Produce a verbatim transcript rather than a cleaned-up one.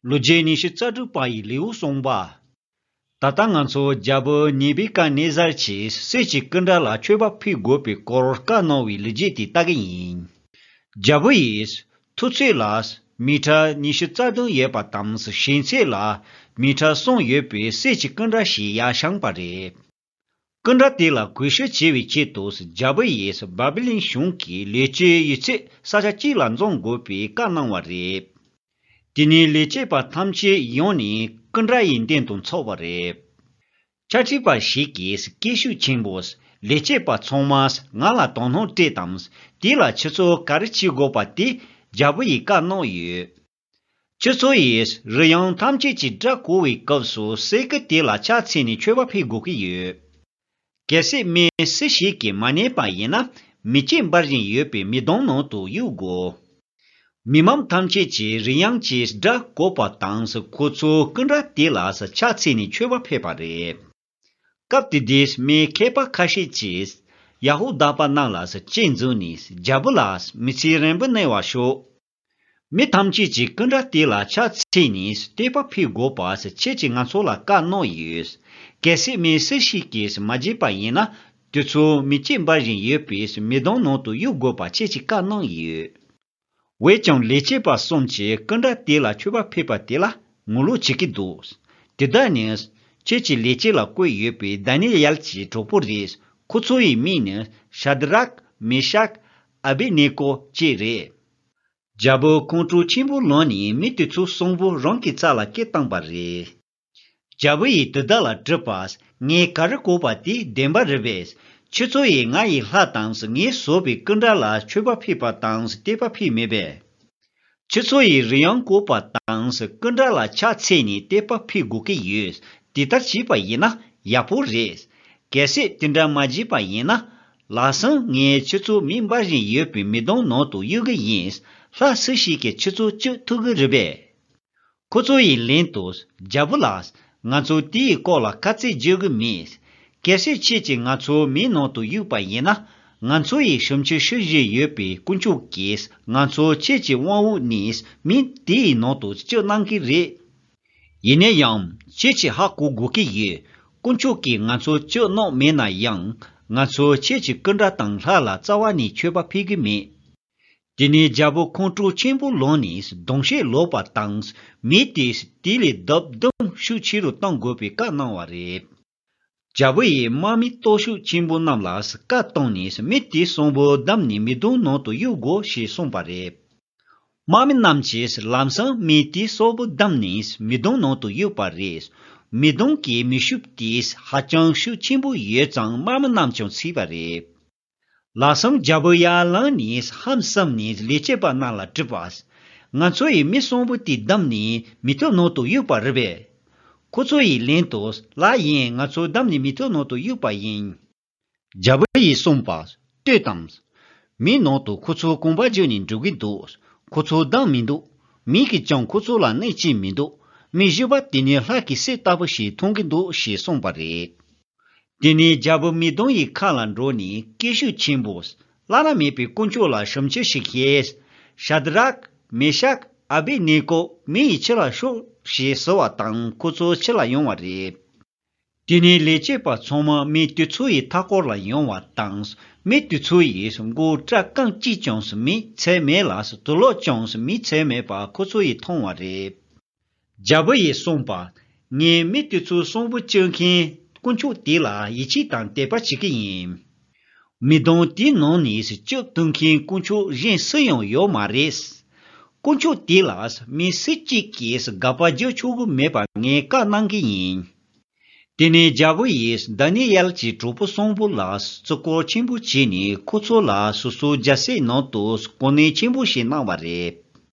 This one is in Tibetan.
ལོ་རྒྱུས་ཉི་ཤུ་རྩ་དྲུག་པ་ཡི་ལེའུ་གསུངས་པ། ད་ལྟ་ང་ཚོ་རྒྱལ་པོ་ནེ་བི་ཀ་ནེ་ཛར་གྱིས་སྲས་ཀྱི་སྐུ་འདྲ་ལ་མཆོད་པ་ཕུལ་དགོས་པའི་སྐོར་བཀའ་གནང་བའི་ལོ་རྒྱུས་དེ་ལྟ་གི་ཡིན། རྒྱལ་པོ་ཡིས་མཐོ་ཚད་ལ་མི་ཊར་ཉི་ཤུ་རྩ་བདུན་ཡོད་པ་དང་ཞེང་ཚད་ལ་མི་ཊར་གསུམ་ཡོད་པའི་སྲས་ཀྱི་སྐུ་འདྲ་ཞིག་ཡར་བཞེངས་པ་རེད། སྐུ་འདྲ་དེ་ལ་གུས་ཞབས་བྱེད་པའི་ཆེད་དུ་རྒྱལ་པོ་ཡིས་བཱ་བི་ལོན་གཞུང་གི་ལས་བྱེད་ཡོད་ཚད་ས་ཆ་གཅིག་ལ་འཛོམས་དགོས་པའི་བཀའ་གནང་བ་རེད། དེ་ནས་ལས་བྱེད་པ་ཐམས་ཅད་ཡོང་ནས་སྐུ་འདྲ་ཡི་མདུན་དུ་འཚོགས་པ་རེད། ཕྱག་བྲིས་པ་ཞིག་གིས་སྐད་ཤུགས་ཆེན་པོས་ལས་བྱེད་པ་ཚང་མས་ང་ལ་དོ་སྣང་སྤྲད་དང་། དེ་ལ་ཁྱེད་ཚོ་ག་རེ་བྱེད་དགོས་པ་དེ་རྒྱལ་པོ་ཡིས་བཀའ་གནང་ཡོད། ཁྱེད་ཚོ་ཡིས་རི་ཡང་ཐམས་ཅད་ཀྱི་སྒྲ་གོ་བའི་སྐབས་སུ་སྲས་སྐུ་དེ་ལ་ཕྱག་འཚལ་ནས་མཆོད་པ་ཕུལ་དགོས་ཀྱི་ཡོད། གལ་སྲིད་མི་སུ་ཞིག་གིས་མ་ཉན་པ་ཡིན་ན་མེ་ལྕེ་འབར་བཞིན་ཡོད་པའི་མེ་དོང་ནང་དུ་གཡུག་དགོས། མི་མང་ཐམས་ཅད་ཀྱིས་རི་ཡང་གི་སྒྲ་གོ་བ་དང་ཁོ་ཚོ་སྐུ་འདྲ་དེ་ལ་ཕྱག་འཚལ་ནས་མཆོད་པ་ཕུལ་བ་རེད། སྐབས་དེ་དུས་མི་མཁས་པ་ཁ་ཤས་ཀྱིས་ཡ་ཧུ་དཱ་པ་རྣམས་ལ་དཔྱད་འཛིན་ནས་རྒྱལ་པོ་ལ་མི་ཚེ་རིང་པོ་གནས་པར་ཤོག་མི་ཐམས་ཅད་ཀྱིས་སྐུ་འདྲ་དེ་ལ་ཕྱག་འཚལ་ནས་བསྟོད་པ་ཕུལ་དགོས་པ་ཁྱེད་ཀྱིས་ང་ཚོ་ལ་བཀའ་གནང་ཡོད། གལ་སྲིད་མི་སུ་ཞིག་གིས་མ་བརྗེད་པ་ཡིན་ན་དེ་ཚོ་མེ་ལྕེ་འབར་བཞིན་ཡོད་པའི་མེ་དོང་ནང་དུ་གཡུག་དགོས་པ་ཁྱེད་ཀྱིས་བཀའ་གནང་ཡོད། འོན་ཀྱང་ལས་བྱེད་པ་གསུམ་གྱིས་སྐུ་འདྲ་དེ་ལ་མཆོད་པ་ཕུལ་བ་དེ་ལ་ངོ་ལོག་བྱེད་ཀྱི་འདུག་དེ་དག་ནི་ཁྱེད་ཀྱི་ལས་བྱེད་ལ་བསྐོས་ཡོད་པའི་དཱ་ནི་ཡལ་གྱི་གྲོགས་པོ་རེད། ཁོ་ཚོ་ཡི་མིང་ནི་ཤ་དྲག་མེ་ཤག་ཨ་བེད་ནེ་ཀོ་བཅས་རེད། རྒྱལ་པོ་ཁོང་ཁྲོ་ཆེན་པོ་ལངས་ནས་མི་དེ་ཚོ་གསུམ་པོ་རང་གི་རྩ་ལ་སྐད་བཏང་པ་རེད། རྒྱལ་པོ་ཡིས་དེ་དག་ལ་དྲིས་པ། ངས་ག་རེ་གོ་བ་དེ་བདེན་པ་རེད་པས། ཁྱེད་ཚོ་ཡིས་ང་ཡི་ལྷ་དང་ངས་བཟོས་པའི་སྐུ་འདྲ་ལ་མཆོད་པ་ཕུལ་བ་དང་བསྟོད་པ་ཕུལ་མེད་པས། ཁྱེད་ཚོ་ཡིས་རི་ཡང་བཀོག་པ་དང་སྐུ་འདྲ་ལ་ཕྱག་འཚལ་ནས་བསྟོད་པ་ཕུལ་དགོས་ཀྱི་ཡོད། དེ་ལྟར་བྱས་པ་ཡིན་ན་ཡག་པོ་རེད། གལ་སྲིད་དེ་འདྲ་མ་བྱས་པ་ཡིན་ན། ལགས་སམ། ངས་ཁྱེད་ཚོ་མེ་འབར་བཞིན་ཡོད་པའི་མེ་དོང་ནང་དུ་གཡུག་གི་ཡིན། ལྷ་སུ་ཞིག་གིས་ཁྱེད་ཚོ་གཅོད་ཐུབ་ཀྱི་རེད་པས། ཁོ་ཚོ་ཡིས་ལན་དུ། རྒྱལ་པོ་ལགས། ང་ཚོ་དེའི་སྐོར་ལ་ཁ་ཚིག་བརྗོད་ཀྱི་མེད། གལ་སྲིད་ཁྱེད་ཀྱིས་ང་ཚོ་མེའི་ནང་དུ་གཡུགས་པ་ཡིན་ན། ང་ཚོ་ཡི་ཞབས་ཕྱི་ཞུ་བཞིན་ཡོད་པའི་དཀོན་མཆོག་གིས་ང་ཚོ་ཁྱེད་ཀྱི་དབང་འོག་ནས་མེ་དེའི་ནང་དུ་གཅོད་གནང་གི་རེད། ཡིན་ན་ཡང་ཁྱེད་ཀྱིས་ཧ་གོ་དགོས་ཀྱི་ཡོད། དཀོན་མཆོག་གིས་ང་ཚོ་གཅོད་གནང་མེད་ན་ཡང་། ང་ཚོ་ཁྱེད་ཀྱི་སྐུ་འདྲ་དང་ལྷ་ལ་རྩ་བ་ནས་མཆོད་པ་ཕུལ་གྱི་མེད། དེ་ནས་རྒྱལ་པོ་ཁོང་ཁྲོ་ཆེན་པོ་ལངས་ནས་གདུང་ཤེད་ལོག་པ་དང་། མེ་དེ་དེ་ལས་ལྡབ་བདུན་ཤུགས་ཆེ་རུ་གཏོང་དགོས་པའི་བཀའ་གནང་བ་རེད། རྒྱལ་པོ་ཡིས་དམག་མི་སྟོབས་ཤུགས་ཆེན་པོ་རྣམས་ལ་བཀའ་བཏང་ནས་མི་དེ་གསུམ་པོ་བསྡམས་ནས་མེ་དོང་ནང་དུ་གཡུག་དགོས་ཞེས་གསུངས་པ་རེད། དམག་མི་རྣམས་ཀྱིས་ལམ་སང་མི་དེ་གསུམ་པོ་བསྡམས་ནས་མེ་དོང་ནང་དུ་གཡུགས་པ་རེད། མེ་དོང་གི་མེ་ཤུགས་དེ་ཧ་ཅང་ཤུགས་ཆེན་པོ་ཡོད་ཙང་དམག་མི་རྣམས་ཀྱང་ཚིག་པ་རེད། ལགས་སམ། རྒྱལ་པོ་ཡར་ལངས་ནས་ཧམ་བསམ་ནས་ལས་བྱེད་པ་རྣམས་ལ་དྲིས་པ། ང་ཚོ་ཡིས་མི་གསུམ་པོ་དེ་བསྡམས་ནས་མེ་ཐབ་ནང་དུ་གཡུགས་པ་རེད་པས། ཁོ་ཚོ་ཡིས་ལན་དུ། ལགས་ཡིན། ང་ཚོ་བསྡམས་ནས་མེ་ཐབ་ནང་དུ་གཡུགས་པ་ཡིན། རྒྱལ་པོ་ཡིས་གསུངས་པ། ལྟོས་དང་། མེའི་ནང་དུ་ཁོ་ཚོ་གོམ་པ་བརྒྱུད་ནས་འགྲོ་གི་འདུག་ཁོ་ཚོ་བསྡམས་མི་འདུག་མེ་གིས་ཀྱང་ཁོ་ཚོ་ལ་གནོད་ཅི་མི་འདུག་མི་བཞི་པ་དེ་ནི་ལྷ་གི་སྲས་ལྟ་བུ་ཞིག་མཐོང་གི་འདུག་ཞེས་གསུངས་པ་རེད། དེ་ནས་རྒྱལ་པོ་མེ་དོང་ཡི་ཁ་ལ་འགྲོ་ནས་སྐད་ཤུགས་ཆེན་པོས། བླ་ན་མེད་པའི་དཀོན་མཆོག་ལ་ཞབས་ཕྱི་ཞིག་བྱས། ཤ་དྲག་མེ་ཤག་ཨ་བེད་ནེ་ཀོ་མེ་ཡི་ཕྱི་ལ་ཤོག་ཞེས་ཟེར་བ་དང་ཁོ་ཚོ་ཕྱི་ལ་ཡོང་བ་རེད། དེ་ནས་ལས་བྱེད་པ་ཚང་མ་མི་དེ་ཚོ་ཡི་མཐའ་སྐོར་ལ་ཡོང་བ་དང་། མི་དེ་ཚོ་ཡིས་མགོ་སྐྲ་རྐང་གཅིག་ཀྱང་མེ་ཚད་མེད་ལ་དུག་ལོག་ཀྱང་མེ་ཚད་མེད་པ་ཁོ་ཚོ་ཡིས་མཐོང་བ་རེད། རྒྱལ་པོ་ཡིས་གསུངས་པ། ངས་མི་དེ་ཚོའི་གསོན་པོ་གཅོད་མཁན་དཀོན་མཆོག་དེ་ལ་ཡིད་ཆེས་དང་དད་པ་བྱེད་ཀྱི་ཡིན། མི་གདོང་དེའི་ནང་ནས་གཅོད་ཐུབ་མཁན་དཀོན་མཆོག་གཞན་སུ་ཡང་ཡོད་མ་རེད། དཀོན་མཆོག་དེ་ལ་མི་སུ་གཅིག་གིས་དགག་པ་རྒྱག་ཆོག་གི་མེད་པ་ངས་བཀའ་གནང་གི་ཡིན། དེ་ནས་རྒྱལ་པོ་ཡིས་དཱ་ནི་ཡལ་གྱི་གྲོགས་པོ་གསུམ་པོ་ལ་བརྩི་བཀུར་ཆེན་པོ་བྱས་ནས་ཁོ་ཚོ་ལ་སོ་སོའི་རྒྱལ་སྲིད་ནང་དུ་གོ་གནས་ཆེན་པོ་ཞིག་གནང་བ་རེད།